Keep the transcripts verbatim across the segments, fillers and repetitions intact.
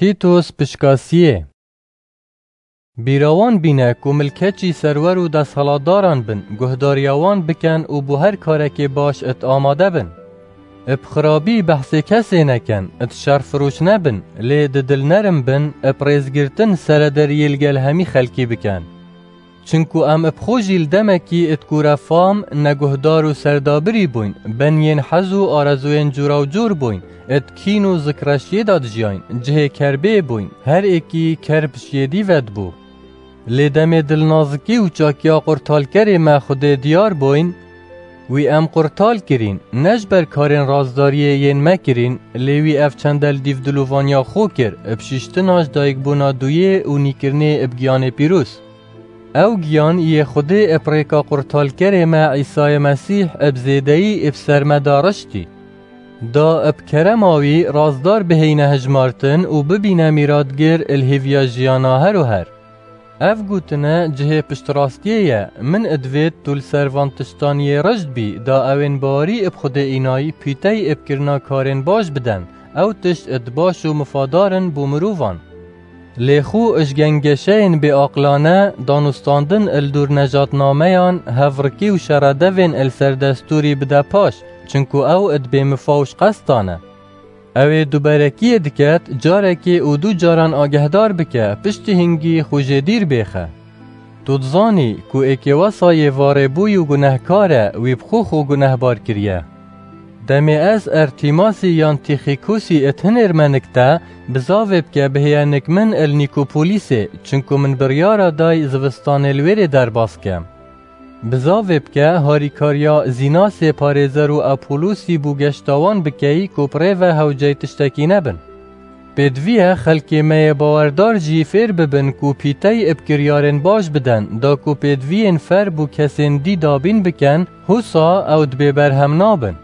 Tîtos pişkasiyê. Bîra wan bîne ku milkeçî serwer û desthilatdaran bin, guhdariya wan bikin û bo her karekê baş it amade bin. Ib xirabî behsê kesê nekin, it şerfiroş nebin, lê di dil nerim bin, ib rêzgirtin serederiyê li gel hemî xelkî bikin. Çinku em ib xwe jî li demekî it kûre fam, neguhdar û serdabirî bûyn, ben yên hez û arezûyên cûra û cûr bûyn, it kîn û zikreşiyê de dijiyayn, cihê kerbê bûyn, her êkî kerb ji yê dî ve dibû. Lê demê dilnazikî û çakiya qurtalkerê me Xwedê diyar bûyn, wî em qurtal kirîn, ne ji ber karên razdariyê yên me kirîn, lê wî ev çende li dîv dilovaniya xwe kir, bi şiştina ji dayikbûna duyê û nîkirinê bi giyanê pîroz. Ew giyan yê Xwedê ib rêka qurtalkerê me Îsayê Mesîh ib zêdeyî ib ser me da riştî. Da ib kerema wî razdar bihêyne hijmartin û bibîne mîratgir il hêviya jiyana her û her. Ev gotine cihê piştrastiyê ye, min idivêt tu li ser van tiştan yê rijd bî, da ewên bawerî ib Xwedê înayî pîtey ib kirina karên baş biden, ew tişt id baş û mifadar in bo mirovan. Lê xwe ij gengeşeyên bêaqilane, danûstandin il dûr nejatnameyan, hevrikî û şeredevên il ser destûrî bide paş, çinku ew id bêmifa û ji qestan e. Ew ê duberekiyê diket, carekê û du caran agehdar bike, piştî hingî xwe jê dîr bêxe. Tu dizanî ku êkê wesa yê varêbûyî û gunehkar e, wî bi xwe xwe gunehbar kiriye. Demê ez Ertîmasî yan Tîxîkusî it hinêrme nik te, bizavê bike bihêye nik min il Nîkopolîsê, çinku min biryara day zivistanê li wêrê derbas ke. Bizavê bike harîkariya Zînasê parêzer û Apolosî bo geşta wan bikeyî ku bi rê ve hewceyî tiştekî nebin. Pêdivî ye xelkê me yê bawerdar jî fêr bibin ku pîtey ib kiryarên baş biden, da ku pêdiviyên fer bo kesên dî dabîn bikin, husa ew di bêberhem nabin.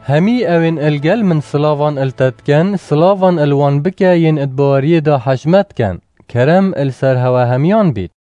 Hemî ewên il gel min silavan il te dikin, silavan il wan bike yên id baweriyê de hej me dikin. Kerem il ser hewe hemiyan bît.